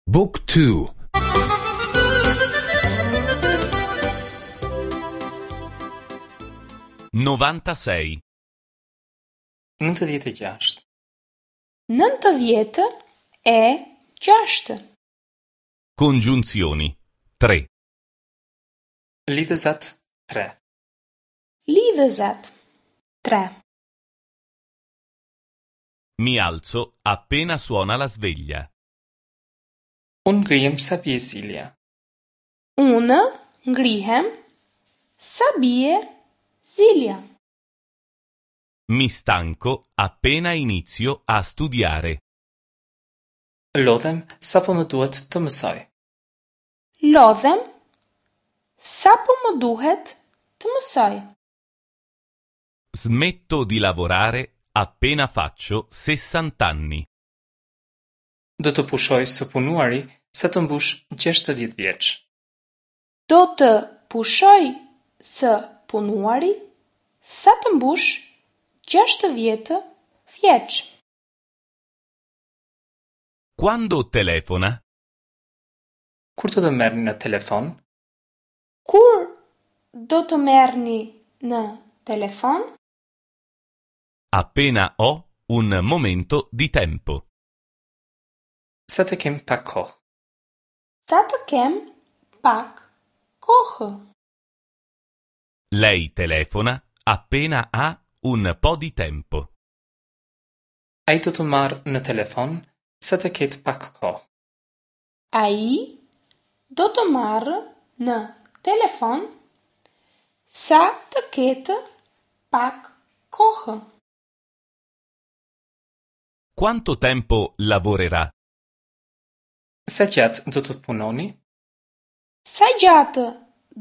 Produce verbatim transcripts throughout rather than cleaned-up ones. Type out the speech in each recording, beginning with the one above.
Book two. novantasei. Nëntëdhjetë e gjashtë. Nëntëdhjetë e gjashtë. Congiunzioni tre. Lidhëzat tre. Lidhëzat tre. Mi alzo appena suona la sveglia. Unë ngrihem sa bie zilja. Unë ngrihem sa bie zilja. Mi stanco appena inizio a studiare. Lodhem sapo më duhet të mësoj. Lodhem sapo më duhet të mësoj. Smetto di lavorare appena faccio sessant'anni. Do të pushoj së punuari sa të mbush gjashtëdhjetë vjeç. Do të pushoj së punuari sa të mbush gjashtëdhjetë vjeç. Quando telefona? Kur do të merrni në telefon? Kur do të merrni në telefon? Appena ho un momento di tempo. Sa të kem pak kohë. Sa të kem pak kohë. Lei telefona appena ha un po' di tempo. Ai do të marrë në telefon sa të ketë pak kohë. Ai do të marrë në telefon sa të ketë pak kohë. Quanto tempo lavorerà? Sa gjatë do të punoni? Sa gjatë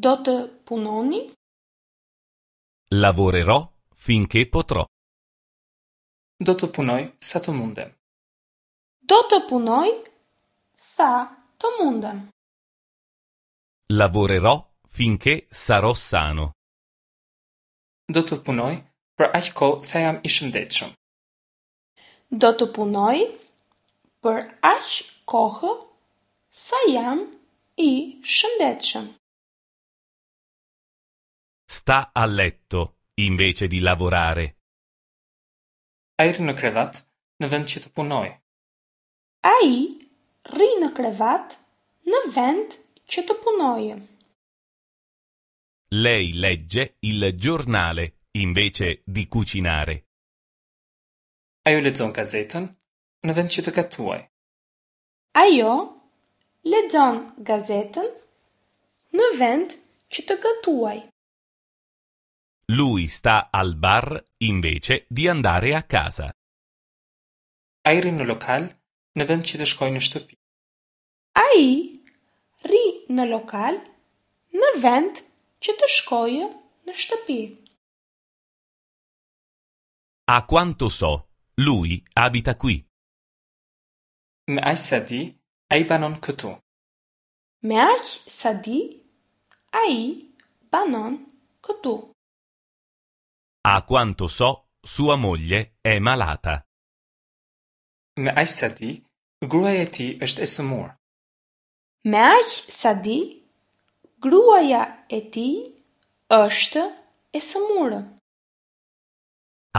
do të punoni? Lavorerò finché potrò. Do të punoj sa të mundem. Do të punoj sa të mundem. Lavorerò finché sarò sano. Do të punoj për aq kohë sa jam i shëndetshëm. Do të punoj për aq kohë sa jam i shëndetshëm. Sta a letto invece di lavorare. Ai rri në krevat në vend që të punojë. Ai rri në krevat në vend që të punojë. Lei legge il giornale invece di cucinare. Ajo lexon gazetën në vend që të gatuajë. Ajo lexon gazetën në vend që të gatuajë. Lui sta al bar invece di andare a casa. Ai rri në lokal në vend që të shkojë në shtëpi. Ai rri në lokal në vend që të shkojë në shtëpi. A quanto so, lui abita qui. Me aq sa di, ai banon këtu. Me aq sa di, ai banon këtu. A quanto so, sua moglie è malata. Me aq sa di, gruaja e tij është e sëmurë. Me aq sa di, gruaja e tij është e sëmurë.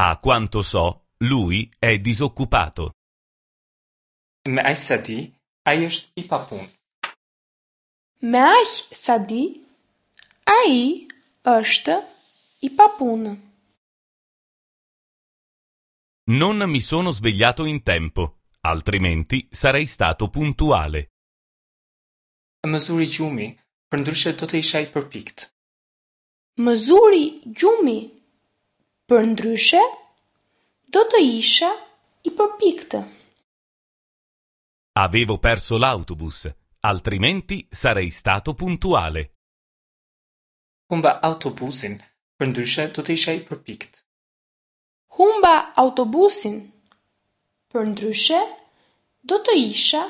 A quanto so, lui è disoccupato. Me aq sa di, ai është i papunë. Me aq sa di, ai është i papunë. Non mi sono svegliato in tempo, altrimenti sarei stato puntuale. Më zuri gjumi, përndryshe do të isha i përpikt. Më zuri gjumi, përndryshe do të isha i përpiktë. Avevo perso l'autobus, altrimenti sarei stato puntuale. Humba autobusin, përndryshe do të isha i përpikt. Humba autobusin, përndryshe do të isha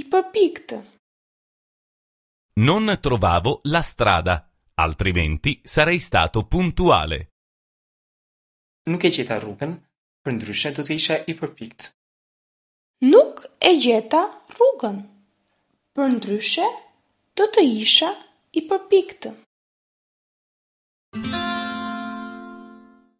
i përpiktë. Non trovavo la strada, altrimenti sarei stato puntuale. Nuk e gjeta rrugën, përndryshe do të isha i përpikt. Nuk e gjeta rrugën, Përndryshe do të isha i përpiktë.